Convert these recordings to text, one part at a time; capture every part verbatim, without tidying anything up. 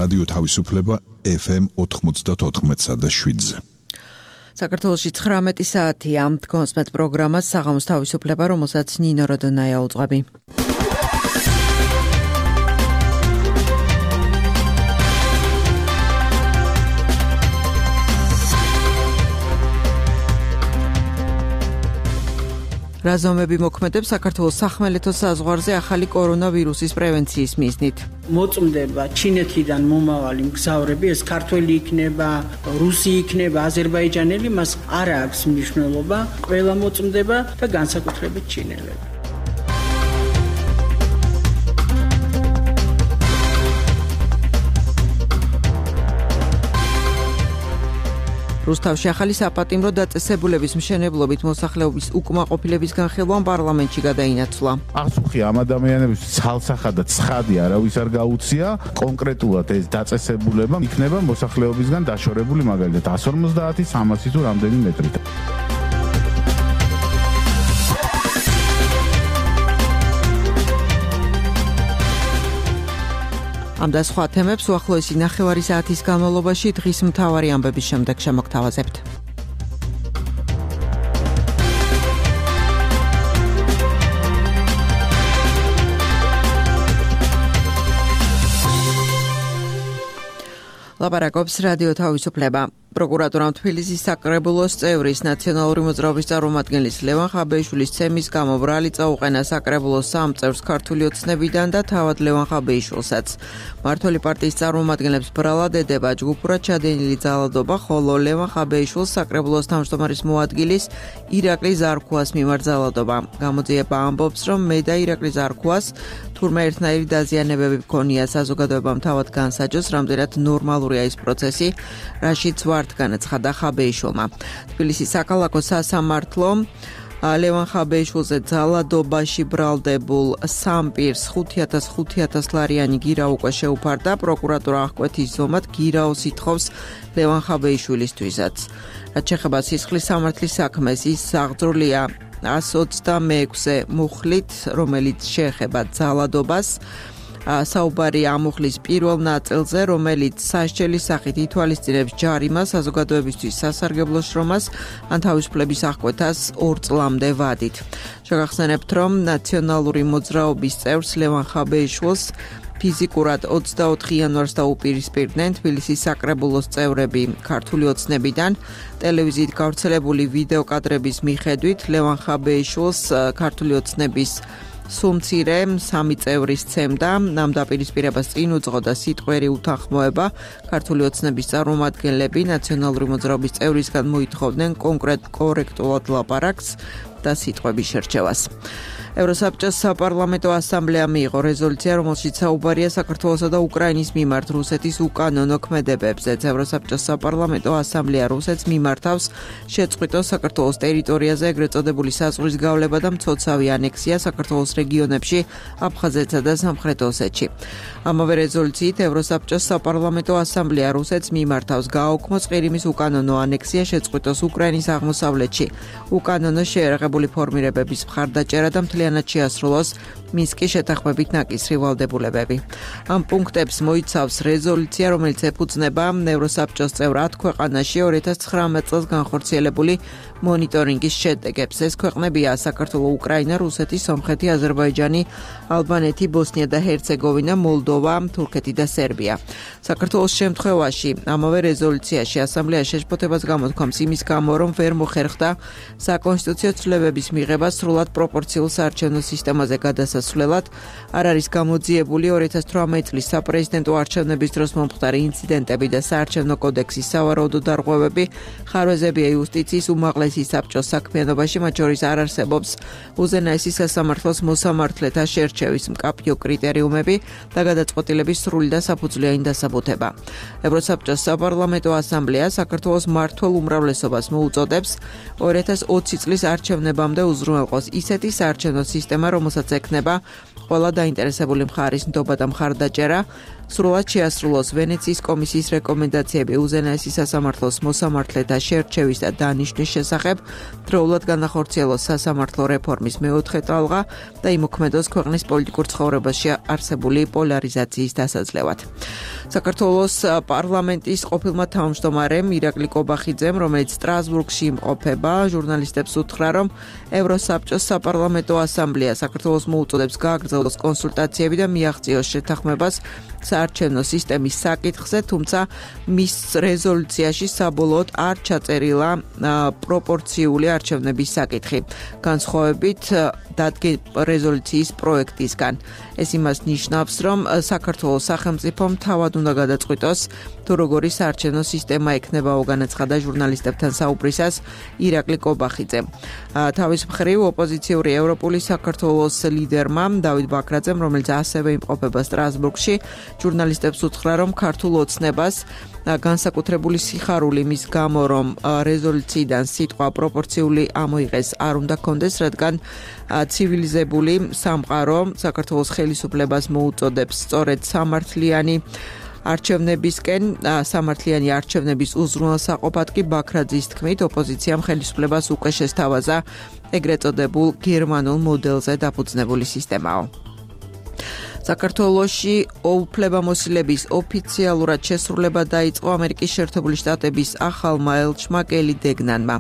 რადიო თავისუფლება ეფ ემ ოთხმოცდაოთხ და შვიდზე. საქართველოში ცხრამეტი საათია დგონსმეთ პროგრამას საღამოს თავისუფლება, რომელსაც ნინო როდონაია უძღვები. რაზომები მოქმედებს საქართველოს სახმელეთო საზღვარზე ახალი კორონავირუსის პრევენციის მიზნით. მოწმდება ჩინეთიდან მომავალი მგზავრები, ეს ქართველი იქნება, რუსი იქნება, აზერბაიჯანელი, მას არ აქვს მნიშვნელობა, ყველა მოწმდება და განსაკუთრებით ჩინელები. რუსთავში ახალი საპატიმრო დაწესებულების მშენებლობით მოსახლეობის უკმაყოფილების განხილვამ პარლამენტში გადაინაცვლა. აღსუხი ამ ადამიანების ცალსახად და ცხადი არავის არ გაუწია, კონკრეტულად ეს დაწესებულება იქნება მოსახლეობისგან დაშორებული მაგალითად εκατს ორმოცდაათი სამასი თუ რამდენი მეტრით. ამ და სხვა თემებს უახლოესი ნახევარი საათის განმავლობაში დღის მთავარი ამბების შემდეგ შემოგთავაზებთ. ლაპარაკობს რადიო თავისუფლება. პროკურატურამ თბილისის საკრებულოს წევრის ნაციონალური მოძრაობის წარმომადგენლის ლევან ხაბეიშვილის ცემის გამო ბრალი წაუყენა საკრებულოს სამ წევრს ქართული ოცნებიდან და თავად ლევან ხაბეიშვილსაც. მმართველი პარტიის წარმომადგენლებს ბრალად ედება ჯგუფურად ჩადენილი ძალადობა, ხოლო ლევან ხაბეიშვილს საკრებულოს თავმჯდომარის მოადგილის ირაკლი ზარქუას მიმართ ძალადობა. გამოძიება ამბობს, რომ მე და ირაკლი ზარქუას თურმე ერთნაირი დაზიანებები მქონია, საზოგადოებამ თავად განსაჯოს, რამდენად ნორმალურია ეს პროცესი, რაშიც ვართ განაცხადა ხაბეიშვილმა. თბილისის საქალაქო სასამართლომ ლევან ხაბეიშვილზე ძალადობაში ბრალდებულ სამ პირს ხუთი ათას ხუთი ათას ლარიანი გირა უკვე შეუფარდა. პროკურატურა აღკვეთის ზომად გირაოს ითხოვს ლევან ხაბეიშვილისთვისაც. რაც შეეხება სისხლის სამართლის საქმეს, ის აღძრულია εκατს ოცდამეექვსე მუხლით, რომელიც შეეხება ძალადობას. საუბარი ამუხლის პირველ ნაწილზე, რომელიც სასჯელის სახით ითვალისწინებს ჯარიმას, საზოგადოებისთვის სასარგებლო შრომას ან თავისუფლების აღკვეთას ორ წლამდე ვადით. შეგახსენებთ, რომ ნაციონალური მოძრაობის წევრს ლევან ხაბეიშვილს ფიზიკურად ოცდაოთხი იანვარს დაუპირისპირდნენ თბილისის საკრებულოს წევრები ქართული ოცნებიდან. ტელევიზიით გავრცელებული ვიდეო კადრების მიხედვით ლევან ხაბეიშვილს ქართული ოცნების სუმცირე სამი წევრი სცემდა, ამ დაპირისპირებას წინ უძღოდა სიტყვერი უთანხმოება. ქართული ოცნების წარმომადგენლები ნაციონალური მოძრაობის წევრისგან მოითხოვდნენ კონკრეტ კორექტულად ლაპარაკს და სიტყვების შერჩევას. ევროსაბჭოს საპარლამენტო ასამბლეამ მიიღო რეზოლუცია, რომელშიც საუბარია საქართველოსა და უკრაინის მიმართ რუსეთის უკანონო ქმედებებზე. ევროსაბჭოს საპარლამენტო ასამბლეა რუსეთს მიმართავს შეწყვიტოს საქართველოს ტერიტორიაზე ეგრეთ წოდებული საზღვრის გავლება და მცოცავი ანექსია საქართველოს რეგიონებში, აფხაზეთსა და სამხრეთ ოსეთში. ამავე რეზოლუციით ევროსაბჭოს საპარლამენტო ასამბლეა რუსეთს მიმართავს გააუქმოს ყირიმის უკანონო ანექსია, შეწყვიტოს უკრაინის აღმოსავლეთში უკანონო შეერაღებული ფორმირებების მხარდაჭერა და მთლიანად შეასრულოს მინსკის შეთანხმებით ნაკისრი ვალდებულებები. ამ პუნქტებს მოიცავს რეზოლუცია, რომელიც ეფუძნება ევროსაბჭოს წევრ ათ ქვეყანაში ორი ათას ცხრამეტ წელს განხორციელებული მონიტორინგის შედეგებს. ეს ქვეყნებია საქართველო, უკრაინა, რუსეთი, სომხეთი, აზერბაიჯანი, ალბანეთი, ბოსნია და ჰერცეგოვინა, მოლდოვა, თურქეთი და სერბია. საქართველოს შემთხვევაში ამავე რეზოლუციაში ასამბლეა შეშფოთებას გამოთქვამს იმის გამო, რომ ვერ მოხერხდა საკონსტიტუციო ცვლილებების მიღება სრულად პროპორციულ საარჩევნო სისტემაზე გადასასვლელად. არ არის გამოძიებული ორი ათას თვრამეტი წლის საპრეზიდენტო არჩევნების დროს მომხდარი ინციდენტები და საარჩევნო კოდექსის სავარაუდო დარღვევები. ხარვეზებია იუსტიციის უმაღლესი საბჭოს საქმიანობაში, მათ შორის არ არსებობს უზენაესი სასამართლოს მოსამართლეთა შერჩევის მკაფიო კრიტერიუმები და გადაწყვეტილების სრული და საფუძვლიანი დასაბუთება. ევროსაბჭოს საპარლამენტო ასამბლეა საქართველოს მმართველ უმრავლესობას მოუწოდებს ორი ათას ოცი წლის არჩევნებამდე უზრუნველყოს ისეთი საარჩევნო სისტემა, რომელსაც ექნება ყველა დაინტერესებული მხარის ნდობა და მხარდაჭერა, სრულად შეასრულოს ვენეციის კომისიის რეკომენდაციები უზენაესი სასამართლოს მოსამართლეთა შერჩევის და დანიშვნის შესახებ, დროულად განახორციელოს სასამართლო რეფორმის მეოთხე ტალღა და იმოქმედოს ქვეყნის პოლიტიკურ ცხოვრებაში არსებული პოლარიზაციის დასაძლევად. საქართველოს პარლამენტის ყოფილმა თავმჯდომარემ ირაკლი კობახიძემ, რომელიც სტრასბურგში იმყოფება, ჟურნალისტებს უთხრა, რომ ევროსაბჭოს საპარლამენტო ასამბლეა საქართველოს მოუწოდებს გააგრძელოს კონსულტაციები და მიაღწიოს შეთანხმებას საარჩევნო სისტემის საკითხზე, თუმცა მის რეზოლუციაში საბოლოოდ არ ჩაწერილა პროპორციული არჩევნების საკითხი. განსხვავებით დადგა რეზოლუციის პროექტისგან. ეს იმას ნიშნავს, რომ საქართველოს სახელმწიფომ თავად უნდა გადაწყვიტოს, თუ როგორი საარჩევნო სისტემა ექნება, განაცხადა ჟურნალისტებთან საუბრისას ირაკლი კობახიძე. თავის მხრივ ოპოზიციური ევროპული საქართველოს ლიდერმა დავით ბაქრაძემ, რომელიც ასევე იმყოფება სტრასბურგში, ჟურნალისტებს უთხრა, რომ ქართულ ოცნებას განსაკუთრებული სიხარული მის გამო, რომ რეზოლუციიდან სიტყვა პროპორციული ამოიღეს არ უნდა კონდეს, რადგან ცივილიზებული სამყარო საქართველოს ხელისუფლებას მოუწოდებს სწორედ სამართლიანი არჩევნებისკენ, სამართლიანი არჩევნების უზრუნველსაყოფად კი ბაქრაძის თქმით, ოპოზიციამ ხელისუფლებას უკვე შესთავაზა ეგრეთ წოდებულ გერმანულ მოდელზე დაფუძნებული სისტემაო. საქართველოში უფლებამოსილების ოფიციალურად შესრულება დაიწყო ამერიკის შეერთებული შტატების ახალმა ელჩმა კელი დეგნანმა.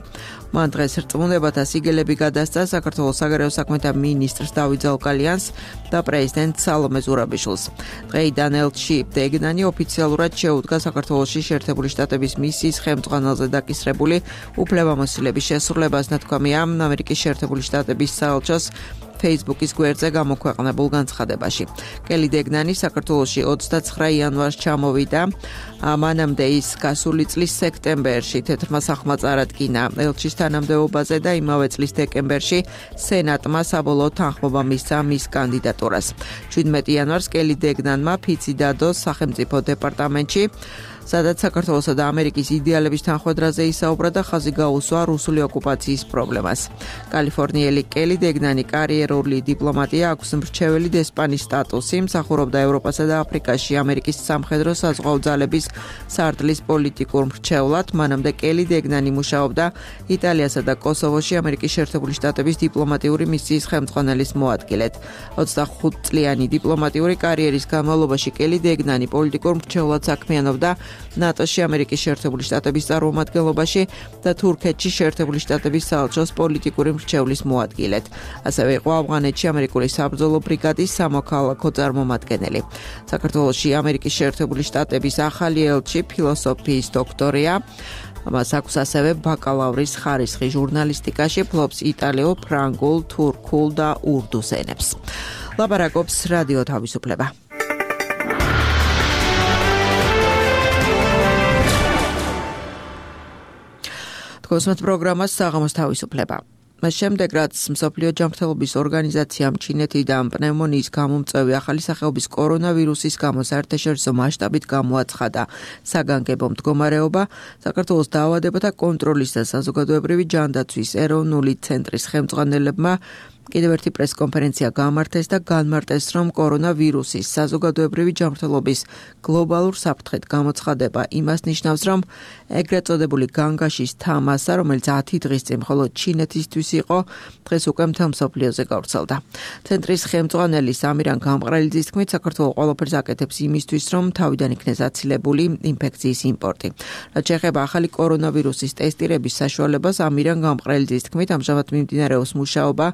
მან დღეს რწმუნებათა სიგელები გადასცა საქართველოს საგარეო საქმეთა მინისტრს დავით ზალკალიანს და პრეზიდენტ სალომე ზურაბიშვილს. დღეიდან ელჩი დეგნანი ოფიციალურად შეუდგა საქართველოში შეერთებული შტატების მისიის ხელმძღვანელზე დაკისრებული უფლებამოსილების შესრულებას, ნათქვამია ამერიკის შეერთებული შტატების საელჩოს Facebook-ის გვერდზე გამოქვეყნებულ განცხადებაში. კელი დეგნანი საქართველოში ოცდაცხრა იანვარს ჩამოვიდა, მანამდე ის გასული წლის სექტემბერში თეთრმა სახლმა წარადგინა ელჩის თანამდებობაზე და იმავე წლის დეკემბერში სენატმა საბოლოო თანხმობა მისცა მის კანდიდატურას. შვიდმეტი იანვარს კელი დეგნანმა ფიცი დადო სახელმწიფო დეპარტამენტში, სადაც საქართველოსა და ამერიკის იდეალების თანხმედრაზე ისაუბრა და ხაზი გაუსვა რუსული ოკუპაციის პრობლემას. კალიფორნიელი კელი დეგნანი კარიერული დიპლომატია, აქვს მრჩეველი დესპანის სტატუსი, მსახურობდა ევროპასა და აფრიკაში ამერიკის სამხედრო საზღვაო ძალების სარდლის პოლიტიკურ მრჩევლად. მანამდე კელი დეგნანი მუშაობდა იტალიასა და კოსოვოში ამერიკის შეერთებული შტატების დიპლომატიური მისიის ხელმძღვანელის მოადგილედ. ოცდახუთწლიანი დიპლომატიური კარიერის განმავლობაში კელი დეგნანი პოლიტიკურ მრჩევლად საქმიანობდა ნატოში, ამერიკის შეერთებული შტატების წარმომადგენლობაში და თურქეთში შეერთებული შტატების საელჩოს პოლიტიკური მრჩევლის მოადგილედ. ასევე იყო ავღანეთში ამერიკული საბრძოლო ბრიგადის სამოქალაქო წარმომადგენელი. საქართველოში ამერიკის შეერთებული შტატების ახალი ელჩი ფილოსოფიის დოქტორია. მას აქვს ასევე ბაკალავრის ხარისხი ჟურნალისტიკაში, ფლობს იტალიურ, ფრანგულ, თურქულ და ურდუს ენებს. ლაპარაკობს რადიო თავისუფლება. კოსმოს პროგრამას საღამოს თავისუფლება. მას შემდეგ, რაც მსოფლიო ჯანმრთელობის ორგანიზაციამ ჩინეთიდან პნევმონიის გამომწვევი ახალი სახეობის კორონავირუსის გამო საერთაშორისო მასშტაბით გამოაცხადა საგანგებო მდგომარეობა, საქართველოს დაავადებათა კონტროლის და საზოგადოებრივი ჯანდაცვის ეროვნული ცენტრის ხელმძღვანელებმა კიდევ ერთი პრესკონფერენცია გამართეს და განმარტეს, რომ კორონავირუსის საზოგადოებრივი ჯანმრთელობის გლობალურ საფრთხედ გამოცხადება იმას ნიშნავს, რომ ეგრეთ წოდებული განგაშის თამასა, რომელიც ათი დღის წინ მხოლოდ ჩინეთისთვის იყო, დღეს უკვე მთელ მსოფლიოზე გავრცელდა. ცენტრის ხელმძღვანელი სამირან გამყრელიძის თქმით, საქართველოს ყველაფერს აკეთებს იმისთვის, რომ თავიდან იქნეს აცილებული ინფექციის იმპორტი. რაც შეეხება ახალი კორონავირუსის ტესტირების საშუალებას, ამირან გამყრელიძის თქმით, ამჟამად მიმდინარეობს მუშაობა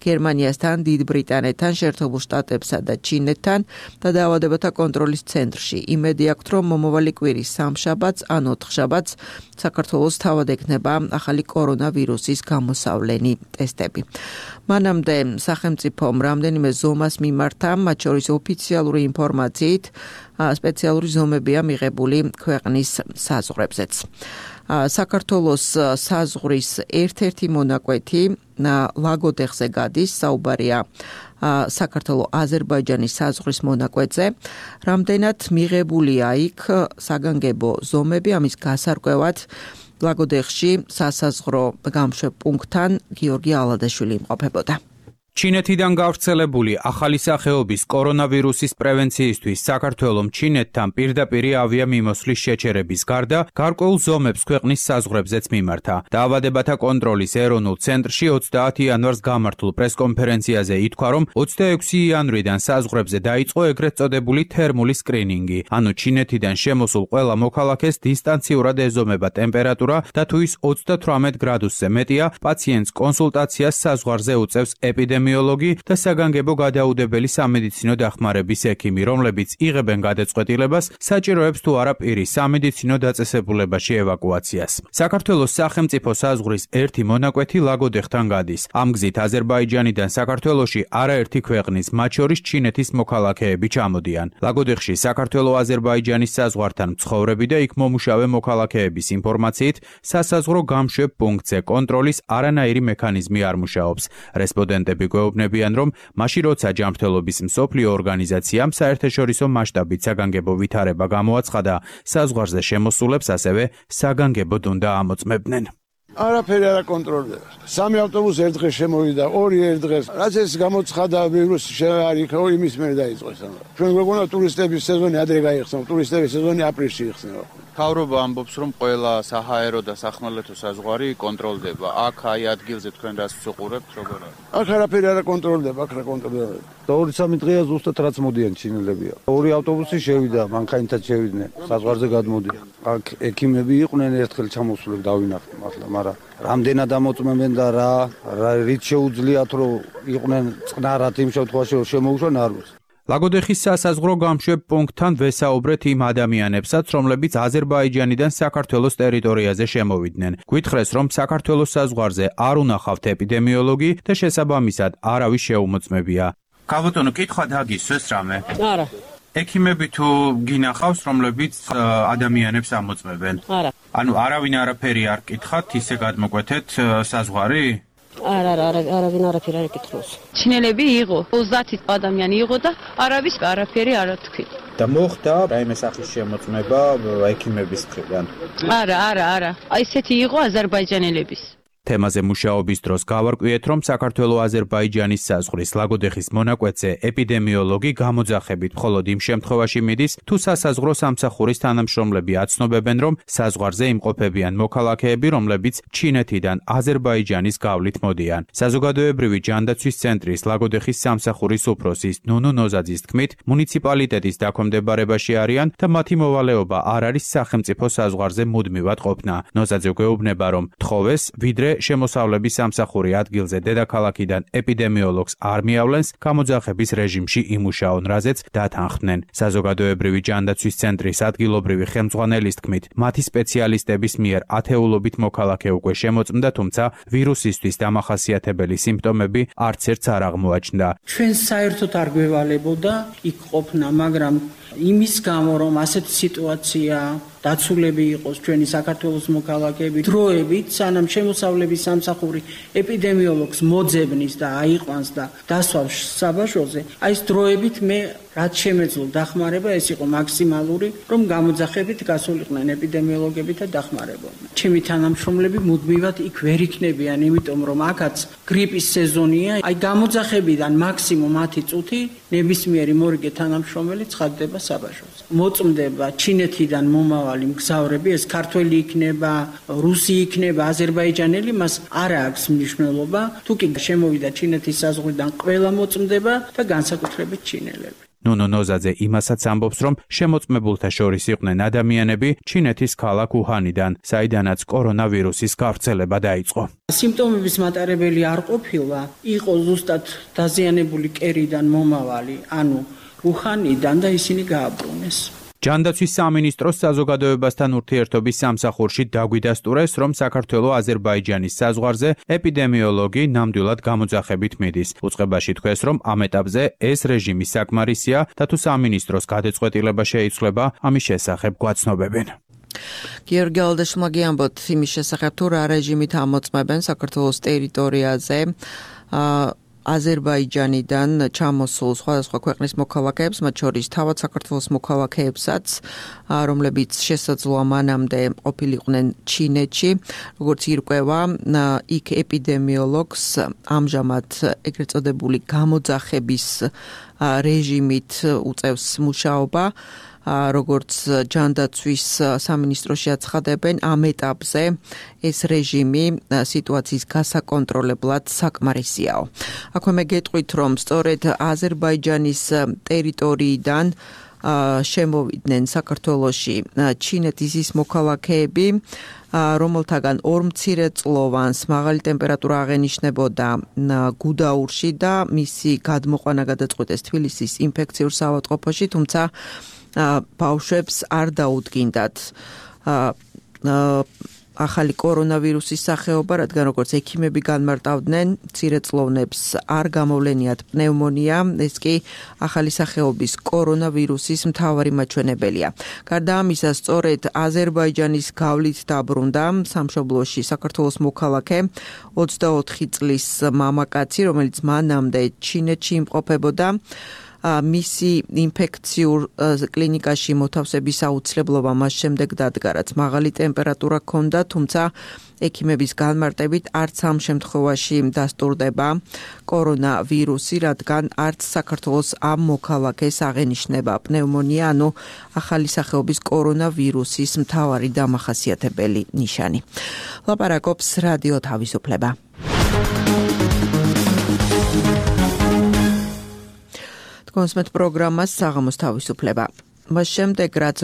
გერმანიასთან, დიდ ბრიტანეთთან, შეერთებულ შტატებსა და ჩინეთთან და დაავადებათა კონტროლის ცენტრში. იმედი აქვთ, რომ მომავალი კვირის სამშაბათს ან ოთხშაბათს საქართველოს თავად ექნება ახალი კორონავირუსის გამოსავლენი ტესტები. მანამდე სახელმწიფომ რამდენიმე ზომას მიმართა, მათ შორის ოფიციალური ინფორმაციით სპეციალური ზომებია მიღებული ქვეყნის საზღვრებზეც. საქართველოს საზღვრის ერთ-ერთი მონაკვეთი ლაგოდეხზე გადის, საუბარია საქართველოს აზერბაიჯანის საზღვრის მონაკვეთზე. რამდენად მიღებულია იქ საგანგებო ზომები, ამის გასარკვევად ლაგოდეხში სასაზღვრო გამშვებ პუნქტთან გიორგი ალადაშვილი იმყოფებოდა. ჩინეთიდან გავრცელებული ახალი სახეობის კორონავირუსის პრევენციისთვის საქართველომ ჩინეთთან პირდაპირი ავიამიმოსვლის შეჩერების გარდა გარკვეულ ზომებს ქვეყნის საზღვრებზეც მიმართა. დაავადებათა კონტროლის ეროვნულ ცენტრში ოცდაათი იანვარს გამართულ პრესკონფერენციაზე ითქვა, რომ ოცდაექვსი იანვრიდან საზღვრებზე დაიწყო ეგრეთ წოდებული თერმული სკრინინგი, ანუ ჩინეთიდან შემოსულ ყველა მოქალაქეს დისტანციურად ეზომება ტემპერატურა და თუ ის ოცდათვრამეტ გრადუსზე მეტია, პაციენტს კონსულტაციას საზღვარზე უწევს ეპიდემიოლოგი და საგანგებო გადაუდებელი სამედიცინო დახმარების ექიმი, რომლებიც იღებენ გადაწყვეტილებას, საჭიროებს თუ არა პირის სამედიცინო დაწესებულებაში ევაკუაციას. საქართველოს სახელმწიფო საზღვრის ერთი მონაკვეთი ლაგოდეხთან გადის. ამ გზით აზერბაიჯანიდან საქართველოში არაერთი ქვეყნის, მათ შორის ჩინეთის მოქალაქეები ჩამოდიან. ლაგოდეხში საქართველო-აზერბაიჯანის საზღვართან მცხოვრები და იქ მომუშავე მოქალაქეების ინფორმაციით, სასაზღვრო გამშვებ პუნქტზე კონტროლის არანაირი მექანიზმი არ მუშაობს. რესპონდენტები გვეუბნებიან, რომ მაშინ როცა ჯანმრთელობის მსოფლიო ორგანიზაციამ საერთაშორისო მასშტაბით საგანგებო ვითარება გამოაცხადა, საზღვარზე შემოსულებს ასევე საგანგებოდ უნდა ამოწმებდნენ. არაფერი არ აკონტროლდება. სამი ავტობუსი ერთ დღეს შემოვიდა, ორი ერთ დღეს. რაც ეს გამოცხადა ვირუსი არ იქა, იმის მერე დაიწყეს. ჩვენ გვეგონა ტურისტების სეზონი ადრე გაიხსნა, ტურისტების სეზონი აპრილში იხსნება. მთავრობა ამბობს, რომ ყველა საჰაერო და სახმელეთო საზღვარი კონტროლდება. აქ აი ადგილზე თქვენ რას ვუყურებთ, როგორ არის? აქ არაფერი არ აკონტროლდება, აქ რა კონტროლდება. და ორი სამი დღეა ზუსტად რაც მოდიან ჩინელებია. ორი ავტობუსი შევიდა, მანქანითაც შევიდნენ, საზღვარზე გადმოდიან. აქ ექიმები იყვნენ, ერთხელ ჩამოსულებ დავინახეთ მართლა, მაგრამ რამდენად ამოწმებენ და რა, რით შეუძლიათ რომ იყვნენ წყნარად იმ შემთხვევაში რომ შემოუშვან არ ვიცი. ლაგოდეხის სასაზღვრო გამშვებ პუნქტთან ვესაუბრეთ იმ ადამიანებსაც, რომლებიც აზერბაიჯანიდან საქართველოს ტერიტორიაზე შემოვიდნენ. გვითხრეს, რომ საქართველოს საზღვარზე არ უნახავთ ეპიდემიოლოგი და შესაბამისად არავის შეუმოწმებია. გაბატონო, კითხვა დაგისვეს რამე? არა. ექიმები თუ გინახავს, რომლებიც ადამიანებს ამოწმებენ? არა. ანუ არავინ არაფერი არ კითხათ, ისე გადმოკვეთეთ საზღვარი? არა, არა, არავინ არაფერი არ ეკითხავს. ჩინელები იყო, ოცდაათი ადამიანი იყო და არავის არაფერი არ თქვით. და მოხდა რაიმე სახის შემოწმება ექიმების მხრიდან? არა, არა, არა. აი ესეთი იყო აზერბაიჯანელების. თემაზე მუშაობის დროს გავარკვიეთ, რომ საქართველო-აზერბაიჯანის საზღვრის ლაგოდეხის მონაკვეთზე ეპიდემიოლოგი გამოძახებით მხოლოდ იმ შემთხვევაში მიდის, თუ სასაზღვრო სამსახურის თანამშრომლები აცნობებენ, რომ საზღვარზე იმყოფებიან მოქალაქეები, რომლებიც ჩინეთიდან აზერბაიჯანის გავლით მოდიან. საზოგადოებრივი ჯანდაცვის ცენტრის ლაგოდეხის სამსახურის უფროსის ნუნუ ნოზაძის თქმით, მუნიციპალიტეტის დაქვემდებარებაში არიან და მათი მოვალეობა არ არის სახელმწიფო საზღვარზე მუდმივად ყოფნა. ნოზაძე გვეუბნება, რომ თხოვეს, ვიდრე შემოსავლების სამსახური ადგილზე დედაქალაქიდან ეპიდემიოლოგს არ მიავლენს, გამოძახების რეჟიმში იმუშაონ, რაზეც დათანხმდნენ. საზოგადოებრივი ჯანდაცვის ცენტრის ადგილობრივი ხელმძღვანელის თქმით, მათი სპეციალისტების მიერ ათეულობით მოქალაქე უკვე შემოწმდა, თუმცა ვირუსისთვის დამახასიათებელი სიმპტომები არც ერთს არ აღმოაჩნდა. ჩვენ საერთოდ არ გვევალებოდა იქ ყოფნა, მაგრამ იმის გამო, რომ ასეთი სიტუაცია დაცულები იყოს ჩვენი საქართველოს მოქალაქეები, დროებით, სანამ შემოსავლების სამსახური ეპიდემიოლოგს მოძებნის და აიყვანს და დასვავს საბაჟოზე, აი ეს დროებით მე რაც შემეძლო დახმარება, ეს იყო მაქსიმალური, რომ გამოძახებით გასულიყვნენ ეპიდემიოლოგები და დახმარებოდნენ. ჩემი თანამშრომლები მუდმივად იქ ვერ იქნებიან, იმიტომ რომ აქაც გრიპის სეზონია, აი გამოძახებიდან მაქსიმუმ ათი წუთი ნებისმიერი მორიგე თანამშრომელი ცხადდება საბაჟოზე. მოწმდება ჩინეთიდან მომავალი მგზავრები, ეს ქართველი იქნება, რუსი იქნება, აზერბაიჯანელი, მას არ აქვს მნიშვნელობა. თუ კი შემოვიდა ჩინეთის საზღვრიდან, ყველა მოწმდება და განსაკუთრებით ჩინელები. ნუნუ ნოზაძე იმასაც ამბობს, რომ შემოწმებულთა შორის იყვნენ ადამიანები ჩინეთის ქალაქ უჰანიდან, საიდანაც კორონავირუსის გავრცელება დაიწყო. სიმპტომების მატარებელი არ ყოფილა, იყო ზუსტად დაზიანებული კერიდან მომავალი, ანუ უჰანიდან და ისინი გააბრუნეს. ჯანდაცვის სამინისტროს საზოგადოებასთან ურთიერთობის სამსახურში დაგვიდასტურეს, რომ საქართველო-აზერბაიჯანის საზღვარზე ეპიდემიოლოგი ნამდვილად გამოძახებით მიდის. უწყებაში თქვეს, რომ ამ ეტაპზე ეს რეჟიმი საკმარისია და თუ სამინისტროს გადაწყვეტილება შეიცვლება, ამის შესახებ გვაცნობებენ. გიორგი ალდაშმა გიამბოთ იმის შესახებ, თუ რა რეჟიმით ამოწმებენ საქართველოს ტერიტორიაზე. აზერბაიჯანიდან ჩამოსულ სხვადასხვა ქვეყნის მოქალაქეებს, მათ შორის თავად საქართველოს მოქალაქეებსაც, რომლებიც შესაძლოა მანამდე ყოფილიყვნენ ჩინეთში, როგორც ირკვევა, იქ ეპიდემიოლოგს ამჟამად ეგრეთ წოდებული გამოძახების რეჟიმით უწევს მუშაობა, როგორც ჯანდაცვის სამინისტროში აცხადებენ, ამ ეტაპზე ეს რეჟიმი სიტუაციის გასაკონტროლებლად საკმარისიაო. აქვე გეტყვით, რომ სწორედ აზერბაიჯანის ტერიტორიიდან შემოვიდნენ საქართველოში ჩინეთის ის მოქალაქეები, რომელთაგან ორ მცირეწლოვანს მაღალი ტემპერატურა აღენიშნებოდა გუდაურში და მისი გადმოყვანა გადაწყვიტეს თბილისის ინფექციურ საავადმყოფოში, თუმცა ბავშვებს არ დაუდგინდათ ახალი კორონავირუსის სახეობა, რადგან როგორც ექიმები განმარტავდნენ, მცირეწლოვნებს არ გამოვლენიათ პნევმონია, ეს კი ახალი სახეობის კორონავირუსის მთავარი მაჩვენებელია. გარდა ამისა, სწორედ აზერბაიჯანის გავლით დაბრუნდა სამშობლოში საქართველოს მოქალაქე ოცდაოთხი წლის მამაკაცი, რომელიც მანამდე ჩინეთში იმყოფებოდა. მისი ინფექციურ კლინიკაში მოთავსების აუცილებლობა მას შემდეგ დადგა, რაც მაღალი ტემპერატურა ჰქონდა, თუმცა ექიმების განმარტებით არც ამ შემთხვევაში დასტურდება კორონავირუსი, რადგან არც საქართველოს ამ მოქალაქეს აღენიშნება პნევმონია, ანუ ახალი სახეობის კორონავირუსის მთავარი დამახასიათებელი ნიშანი. ლაპარაკობს რადიო თავისუფლება. კონსმეთ პროგრამას საღამოს თავისუფლება. მას შემდეგ რაც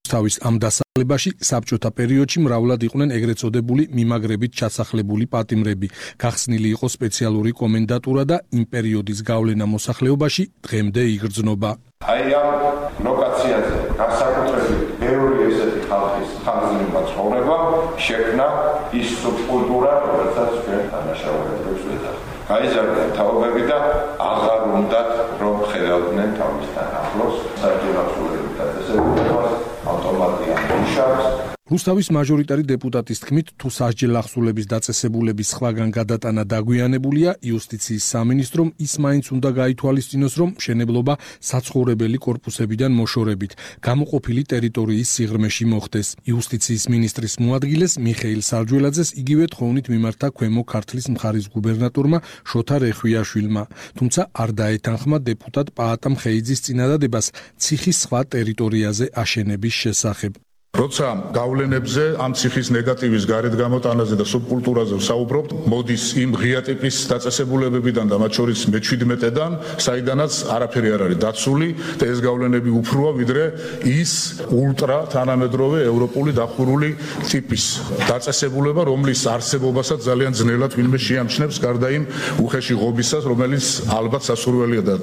თავის ამ დასახლებაში საბჭოთა პერიოდში მრავლად იყვნენ ეგრეთ წოდებული მიმაგრებით ჩასახლებული პატიმრები. გახსნილი იყო სპეციალური კომენდატურა და იმ პერიოდის გავლენა მოსახლეობაში დღემდე იგრძნობა. აი ამ ლოკაციაზე განსაკუთრებით ბევრი ესეთი ხალხის ხანგრძლივი ცხოვრება შექმნა ის სუბკულტურა, რომელსაც ჩვენ დანაშაულებებს ვეძახ. გაიზარდნენ თაობები და აღარ უნდათ რომ ხედავდნენ თავისთან ახლოს საჯელახულებით დაწესებულებას ავტომატიან მუშაკს. რუსთავის მაჟორიტარი დეპუტატის თქმით, თუ სასჯელ ახსულების დაწესებულების სხვაგან გადატანა დაგვიანებულია, იუსტიციის სამინისტრომ ის მაინც უნდა გაითვალისწინოს, რომ მშენებლობა საცხოვრებელი კორპუსებიდან მოშორებით გამოყოფილი ტერიტორიის სიღრმეში მოხდეს. იუსტიციის მინისტრის მოადგილეს მიხეილ სარჯველაძეს იგივე თხოვნით მიმართა ქვემო ქართლის მხარის გუბერნატორმა შოთა რეხვიაშვილმა, თუმცა არ დაეთანხმა დეპუტატ პაატა მხეიძის წინადადებას ციხის სხვა ტერიტორიაზე აშენების შესახებ. როცა გავლენებზე ამ ციხის ნეგატივის გარეთ გამოტანაზე და სუბკულტურაზე ვსაუბრობთ, მოდის იმ ღია ტიპის დაწესებულებებიდან და მათ შორის მეჩვიდმეტედან, საიდანაც არაფერი არ არის დაცული და ეს გავლენები უფროა ვიდრე ის ულტრა თანამედროვე ევროპული დახურული ტიპის დაწესებულება, რომლის არსებობასაც ძალიან ძნელად ვინმე შეამჩნევს, გარდა იმ უხეში ღობისას, რომელიც ალბათ სასურველია და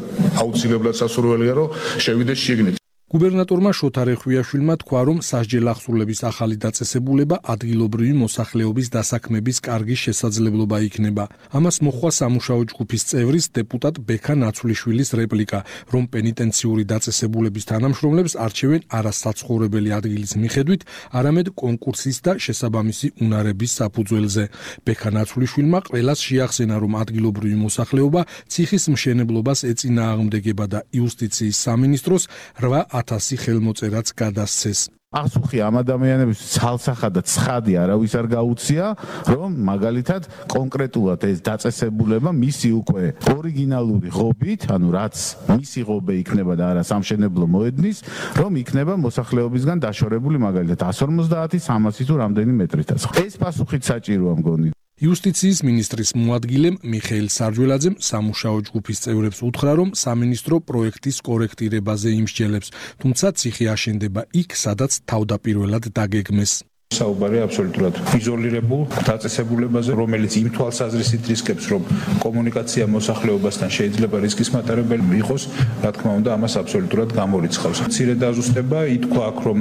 აუცილებლად სასურველია, რომ შევიდეს შიგნით. გუბერნატორმა შოთა რეხვიაშვილმა თქვა, რომ სასჯელ ახსულების ახალი დაწესებულება ადგილობრივი მოსახლეობის დასაქმების კარგი შესაძლებლობა იქნება. ამას მოჰყვა სამუშაო ჯგუფის წევრის დეპუტატ ბექა ნაცვლიშვილის რეპლიკა, რომ პენიტენციური დაწესებულების თანამშრომლებს არჩევენ არა საცხოვრებელი ადგილის მიხედვით, არამედ კონკურსის და შესაბამისი უნარების საფუძველზე. ბექა ნაცვლიშვილმა ყველას შეახსენა, რომ ადგილობრივი მოსახლეობა ციხის მშენებლობას ეწინააღმდეგება და იუსტიციის სამინისტროს რვა ათასი ხელმოწერაც გადასცეს. ასუხი ამ ადამიანების ცალსახად და ცხადი არავის არ გაუწია, რომ მაგალითად კონკრეტულად ეს დაწესებულება მისი უკვე ორიგინალური ღობით, ანუ რაც მისი ღობე იქნება და არა სამშენებლო მოედნის, რომ იქნება მოსახლეობისგან დაშორებული მაგალითად εκατს ორმოცდაათი სამასი თუ რამდენი მეტრითაც. ეს პასუხით საჭიროა მგონი. იუსტიციის მინისტრის მოადგილემ მიხეილ სარჯველაძემ სამუშაო ჯგუფის წევრებს უთხრა, რომ სამინისტრო პროექტის კორექტირებაზე იმსჯელებს, თუმცა ციხე აშენდება იქ, სადაც თავდაპირველად დაგეგმეს. საუბარია აბსოლუტურად იზოლირებულ დაწესებულებაზე, რომელიც იმ თვალსაზრისით რისკებს, რომ კომუნიკაცია მოსახლეობასთან შეიძლება რისკის მატარებელი იყოს, რა თქმა უნდა, ამას აბსოლუტურად გამორიცხავს. მცირე დაზუსტება ითქვა აქ, რომ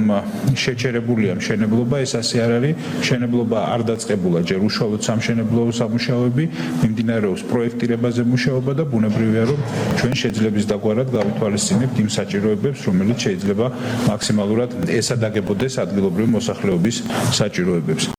შეჩერებულია მშენებლობა, ეს ასე არ არის, მშენებლობა არ დაწყებულა ჯერ უშუალოდ სამშენებლო სამუშაოები, მიმდინარეობს პროექტირებაზე მუშაობა და ბუნებრივია, რომ ჩვენ შეძლებს დაგვარად გავითვალისწინებთ იმ საჭიროებებს, რომელიც შეიძლება მაქსიმალურად ესადაგებოდეს ადგილობრივი მოსახლეობის საჭიროებებს.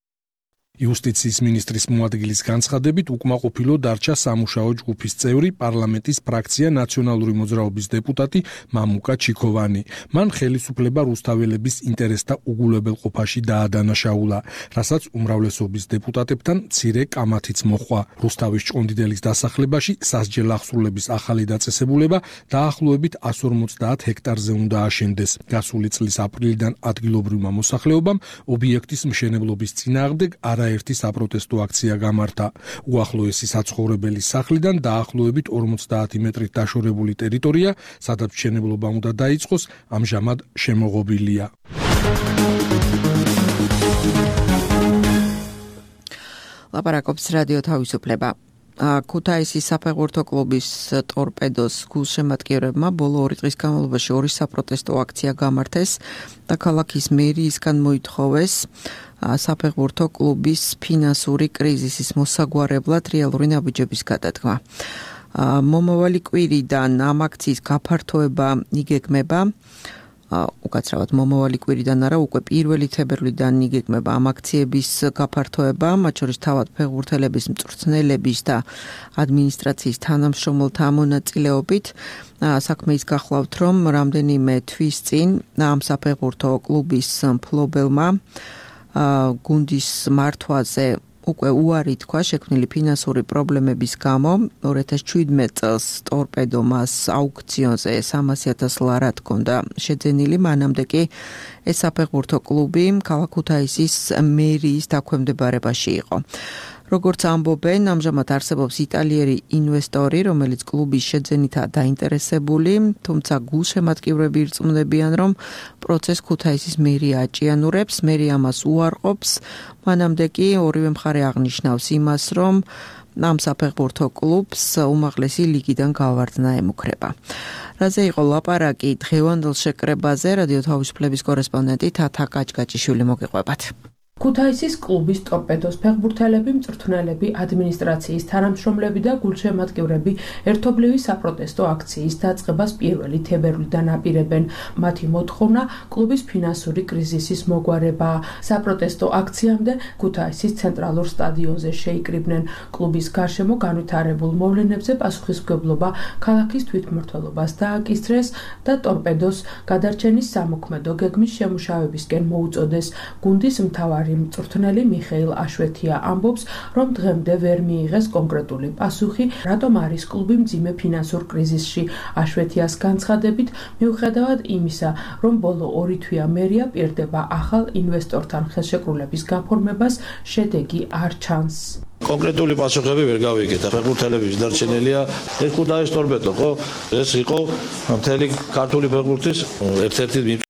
იუსტიციის მინისტრის მოადგილის განცხადებით უკმაყოფილო დარჩა სამუშაო ჯგუფის წევრი პარლამენტის ფრაქცია ნაციონალური მოძრაობის დეპუტატი მამუკა ჩიქოვანი. მან ხელისუფლება რუსთაველების ინტერესთა უგულებელყოფაში დაადანაშაულა, რასაც უმრავლესობის დეპუტატებთან მცირე კამათიც მოჰყვა. რუსთავის ჭყონდიდელის დასახლებაში სასჯელ ახსულების ახალი დაწესებულება დაახლოებით εκατს ორმოცდაათ ჰექტარზე უნდა აშენდეს. გასული წლის აპრილიდან ადგილობრივმა მოსახლეობამ ობიექტის მშენებლობის წინააღმდეგ არა ერთი საპროტესტო აქცია გამართა. უახლოესი საცხოვრებელი სახლიდან დაახლოებით ორმოცდაათი მეტრით დაშორებული ტერიტორია, სადაც მშენებლობა უნდა დაიწყოს, ამჟამად შემოღობილია. ლაპარაკობს რადიო თავისუფლება. ქუთაისის საფეხბურთო კლუბის ტორპედოს გულშემატკივრებმა ბოლო ორი დღის განმავლობაში ორი საპროტესტო აქცია გამართეს და ქალაქის მერიისგან მოითხოვეს საფეხბურთო კლუბის ფინანსური კრიზისის მოსაგვარებლად რეალური ნაბიჯების გადადგმა. მომავალი კვირიდან ამ აქციის გაფართოება იგეგმება. უკაცრავად მომავალი კვირიდან არა, უკვე პირველი თებერვლიდან იგეგმება ამ აქციების გაფართოება, მათ შორის თავად ფეხბურთელების, მწვრთნელების და ადმინისტრაციის თანამშრომელთა მონაწილეობით. საქმე ის გახლავთ, რომ რამდენიმე თვის წინ ამ საფეხბურთო კლუბის მფლობელმა გუნდის მართვაზე უკვე უარი თქვა შექმნილი ფინანსური პრობლემების გამო. ორი ათას შვიდმეტ წელს ტორპედო მას აუქციონზე სამასი ათას ლარად ჰქონდა შეძენილი, მანამდე კი ეს საფეხბურთო კლუბი ქალაქ ქუთაისის მერიის დაქვემდებარებაში იყო. როგორც ამბობენ, ამჟამად არსებობს იტალიერი ინვესტორი, რომელიც კლუბის შეძენითაა დაინტერესებული, თუმცა გულშემატკივრები ირწმუნებიან, რომ პროცესს ქუთაისის მერია აჭიანურებს, მერია ამას უარყოფს, მანამდე კი ორივე მხარე აღნიშნავს იმას, რომ ამ საფეხბურთო კლუბს უმაღლესი ლიგიდან გავარდნა ემუქრება. რაზე იყო ლაპარაკი დღევანდელ შეკრებაზე, რადიო თავისუფლების კორესპონდენტი თათა კაჭკაჭიშვილი მოგიყვებათ. ქუთაისის კლუბის ტორპედოს ფეხბურთელები, მწვრთნელები, ადმინისტრაციის თანამშრომლები და გულშემატკივრები ერთობლივი საპროტესტო აქციის დაწყებას პირველი თებერვლიდან აპირებენ. მათი მოთხოვნა კლუბის ფინანსური კრიზისის მოგვარება. საპროტესტო აქციამდე ქუთაისის ცენტრალურ სტადიონზე შეიკრიბნენ. კლუბის გარშემო განვითარებულ მოვლენებზე პასუხისმგებლობა ქალაქის თვითმმართველობას დააკისრეს და ტორპედოს გადარჩენის სამოქმედო გეგმის შემუშავებისკენ მოუწოდეს. გუნდის მთავარი მწვრთნელი მიხეილ აშვეთია ამბობს, რომ დღემდე ვერ მიიღეს კონკრეტული პასუხი, რატომ არის კლუბი მძიმე ფინანსურ კრიზისში. აშვეთიას განცხადებით, მიუხედავად იმისა, რომ ბოლო ორი თვეა მერია პირდება ახალ ინვესტორთან ხელშეკრულების გაფორმებას, შედეგი არ ჩანს. კონკრეტული პასუხები ვერ გავიგეთ. ფეხბურთელების დარჩენილია ეს ქუთაისის ტორპედო, ხო? ეს იყო მთელი ქართული ფეხბურთის ერთ-ერთი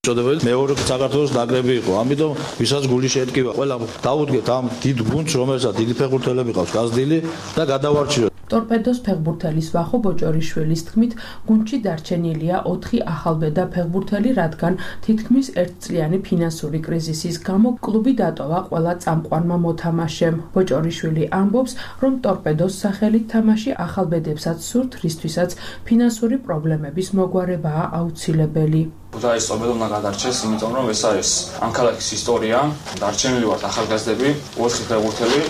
წოდებული მეორე საქართველოს ნაკრები იყო. ამიტომ ვისაც გული შეეთკივა, ყველა დაუდგეთ ამ დიდ გუნდს, რომელსაც დიდი ფეხბურთელები ყავს გაზრდილი და გადავარჩიოთ. ტორპედოს ფეხბურთელის ვახო ბოჭორიშვილის თქმით, გუნდში დარჩენილია ოთხი ახალბედა ფეხბურთელი, რადგან თითქმის ერთწლიანი ფინანსური კრიზისის გამო კლუბი დატოვა ყველა წამყვანმა მოთამაშემ. ბოჭორიშვილი ამბობს, რომ ტორპედოს სახელით თამაში ახალბედებსაც სურთ, რისთვისაც ფინანსური პრობლემების მოგვარებაა აუცილებელი. ქუთაისის ტორპედო უნდა გადარჩეს, იმიტომ რომ ეს არის ამ ქალაქის ისტორია, დარჩენილი ვართ ახალგაზრდები, ოთხი ფეხბურთელი,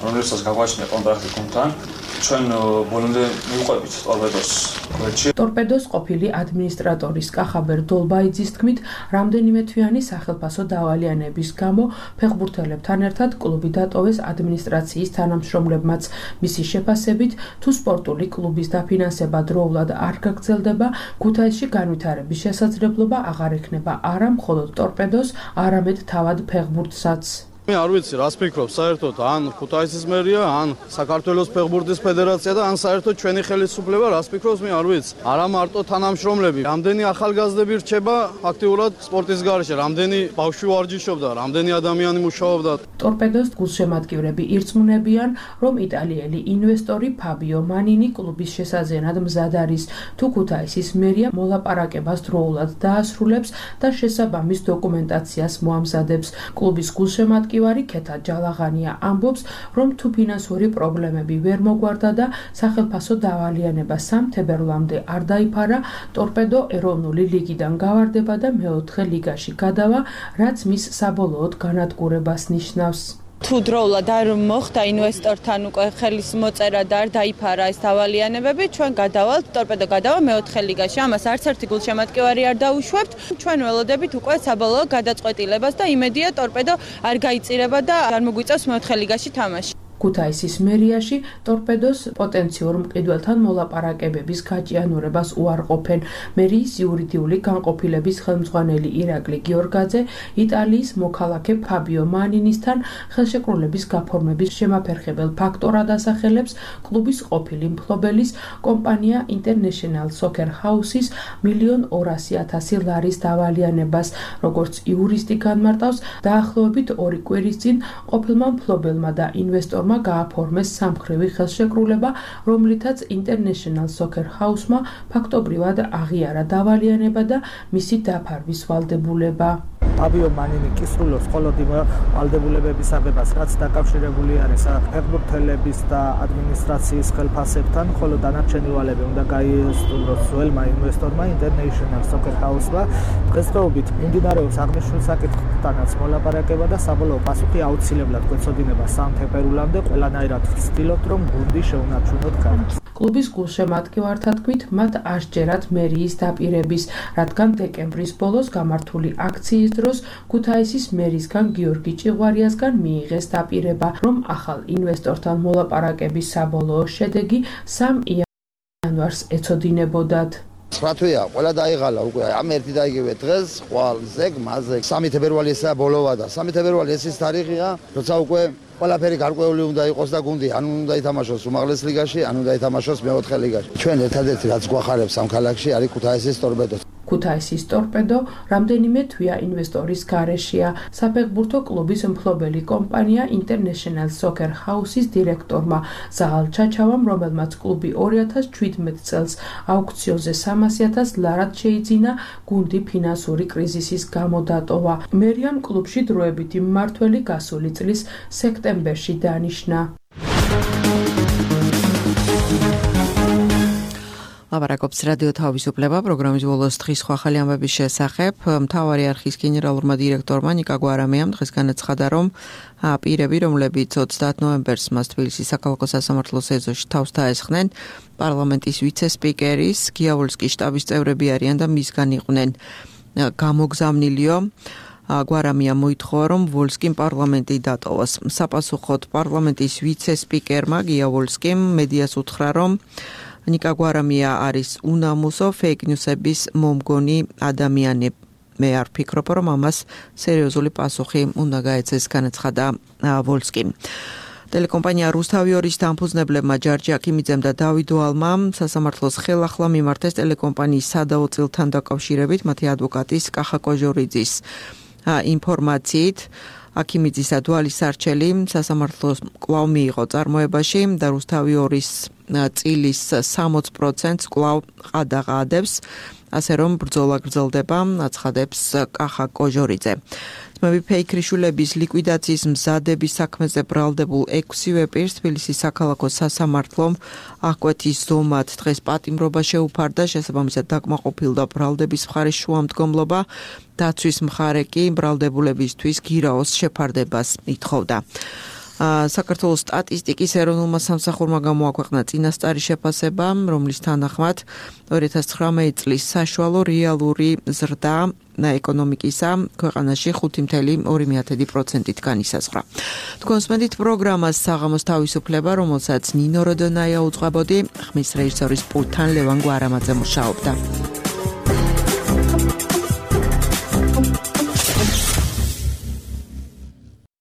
რომელსაც გაგვაჩნია კონტრაქტი გუნდთან. ჩვენ ბოლომდე მივყვებით ტორპედოს გვერდში. ტორპედოს ყოფილი ადმინისტრატორის კახაბერ დოლბაიძის თქმით, რამდენიმე თვიანი სახელფასო დავალიანების გამო ფეხბურთელებთან ერთად კლუბი დატოვეს ადმინისტრაციის თანამშრომლებმაც. მისი შეფასებით, თუ სპორტული კლუბის დაფინანსება დროულად არ გაგრძელდება, ქუთაისში განვითარების შესაძლებლობა აღარ ექნება არა მხოლოდ ტორპედოს, არამედ თავად ფეხბურთსაც. მე არ ვიცი რას ფიქრობ საერთოდ ან ქუთაისის მერია ან საქართველოს ფეხბურთის ფედერაცია და ან საერთოდ ჩვენი ხელისუფლება რას ფიქრობს მე არ ვიცი არა მარტო თანამშრომლები რამდენი ახალგაზრდები რჩება აქტიურად სპორტის გარეშე რამდენი ბავშვი ვარჯიშობდა რამდენი ადამიანი მუშაობდა ტორპედოს გულშემატკივრები ირწმუნებიან რომ იტალიელი ინვესტორი ფაბიო მანინი კლუბის შესაძენად მზად არის თუ ქუთაისის მერია მოლაპარაკებას დროულად დაასრულებს და შესაბამის დოკუმენტაციას მოამზადებს კლუბის გულშემატკივარი ქეთა ჯალაღანია ამბობს, რომ თუ ფინანსური პრობლემები ვერ მოგვარდა და სახელფასო დავალიანება სამ თებერვლამდე არ დაიფარა, ტორპედო ეროვნული ლიგიდან გავარდება და მეოთხე ლიგაში გადავა, რაც მის საბოლოოდ განადგურებას ნიშნავს. თუ დროულად არ მოხდა ინვესტორთან უკვე ხელის მოწერა და არ დაიფარა ეს დავალიანებები, ჩვენ გადავალთ, ტორპედო გადავა მეოთხე ლიგაში. ამას არც ერთი გულშემატკივარი არ დაუშვებთ. ჩვენ ველოდებით უკვე საბოლოო გადაწყვეტილებას და იმედია ტორპედო არ გაიწირება და არ მოგვიწევს მეოთხე ლიგაში თამაში. ქუთაისის მერიაში ტორპედოს პოტენციურ მყიდველთან მოლაპარაკებების გაჭიანურებას უარყოფენ. მერიის იურიდიული განყოფილების ხელმძღვანელი ირაკლი გიორგაძე იტალიის მოქალაქე ფაბიო მანინისთან ხელშეკრულების გაფორმების შემაფერხებელ ფაქტორად ასახელებს კლუბის ყოფილი მფლობელის კომპანია International Soccer House-ის მილიონ ორასი ათასი ლარის დავალიანებას, როგორც იურისტი განმარტავს, დაახლოებით ორი კვირის წინ ყოფილმა მფლობელმა და ინვესტორმა გააფორმეს სამხრივი ხელშეკრულება, რომლითაც International Soccer House-მა ფაქტობრივად აღიარა დავალიანება და მისი დაფარვის ვალდებულება. ფაბიო მანინი კისრულობს მხოლოდ იმ ვალდებულებების აღებას, რაც დაკავშირებული არის ფეხბურთელების და ადმინისტრაციის ხელფასებთან, ხოლო დანარჩენი ვალები უნდა გაიესწროს ძველმა ინვესტორმა International Soccer House-მა. დღესდღეობით მიმდინარეობს აღნიშნულ საკითხთანაც მოლაპარაკება და საბოლოო პასუხი აუცილებლად გვეცოდინება სამ თებერვლამდე. ყველანაირად ვცდილობთ, რომ გუნდი შეუნარჩუნოთ განს. კლუბის გულშემატკივართა თქმით, მათ ასჯერათ მერიის დაპირების, რადგან დეკემბრის ბოლოს გამართული აქციის დროს ქუთაისის მერისგან გიორგი ჭიღვარიასგან მიიღეს დაპირება, რომ ახალ ინვესტორთან მოლაპარაკების საბოლოო შედეგი სამ იანვარს ეცოდინებოდათ. რა თვეა, ყველა დაიღალა უკვე ამ ერთი და იგივე დღეს, ხვალ ზეგ, მაზეგ. სამი თებერვალი ესაა ბოლოვა და სამი თებერვალი ეს ის თარიღია, როცა უკვე ყველაფერი გარკვეული უნდა იყოს და გუნდი ან უნდა ითამაშოს უმაღლეს ლიგაში, ან უნდა ითამაშოს მეოთხე ლიგაში. ჩვენ ერთადერთი რაც გვახარებს ამ ქალაქში არის ქუთაისის ტორპედო. ქუთაისის ტორპედო რამდენიმე თვია ინვესტორის გარეშეა. საფეხბურთო კლუბის მფლობელი კომპანია International Soccer House-ის დირექტორმა ზაღალ ჩაჩავამ, რომელმაც კლუბი ორი ათას ჩვიდმეტ წელს აუქციონზე სამასი ათას ლარად შეიძინა, გუნდი ფინანსური კრიზისის გამო დატოვა. მერიამ კლუბში დროებითი მმართველი გასული წლის სექტემბერში დანიშნა. ლაპარაკობს რადიო თავისუფლება პროგრამის ბოლოს დღის სხვა ახალი ამბების შესახებ. მთავარი არხის გენერალურმა დირექტორმა ნიკა გვარამიამ დღეს განაცხადა, რომ პირები, რომლებიც ოცდაათ ნოემბერს მას თბილისის საქალაქო სასამართლოს ეზოში თავს დაესხნენ, პარლამენტის ვიცე-სპიკერის გიავოლსკის შტაბის წევრები არიან და მისგან იყვნენ გამოგზავნილიო. გვარამია მოითხოვა, რომ ვოლსკიმ პარლამენტი დატოვოს. საპასუხოდ პარლამენტის ვიცე-სპიკერმა გიავოლსკიმ მედიას უთხრა, რომ ნიკა გვარამია არის უნამუსო ფეიქ ნიუსების მომგონი ადამიანი. მე არ ფიქრობ, რომ ამას სერიოზული პასუხი უნდა გაეცეს, განაცხადა ვოლსკიმ. ტელეკომპანია რუსთავი ორის დამფუძნებლებმა ჯარჯი აქიმიძემ და დავით ვალმა სასამართლოს ხელახლა მიმართეს ტელეკომპანიის სადაო წილთან დაკავშირებით მათი ადვოკატის კახა კოჟორიძის ინფორმაციით. აქიმიძისა დვალის სარჩელი სასამართლოს კვლავ მიიღო წარმოებაში და რუსთავი ორის წილის სამოცი პროცენტს კვლავ ყადაღადებს, ასე რომ ბრძოლა გრძელდება, აცხადებს კახა კოჟორიძე. ძმები ფეიქრიშვილების ლიკვიდაციის მზადების საქმეზე ბრალდებულ ექვსივე პირს თბილისის საქალაქო სასამართლომ აღკვეთის ზომად დღეს პატიმრობა შეუფარდა, შესაბამისად დაკმაყოფილდა ბრალდების მხარის შუამდგომლობა, დაცვის მხარე კი ბრალდებულებისთვის გირაოს შეფარდებას ითხოვდა. საქართველოს სტატისტიკის ეროვნულმა სამსახურმა გამოაქვეყნა წინასწარი შეფასება, რომლის თანახმად ორი ათას ცხრამეტი წლის საშუალო რეალური ზრდა ეკონომიკისა ქვეყანაში ხუთი წუთი ორი პროცენტით განისაზღვრა. თქვენსმენდით პროგრამას საღამოს თავისუფლება, რომელსაც ნინო როდონაია უძღვებოდი, ხმის რეჟისორის პულტთან ლევან გვარამაძე მუშაობდა.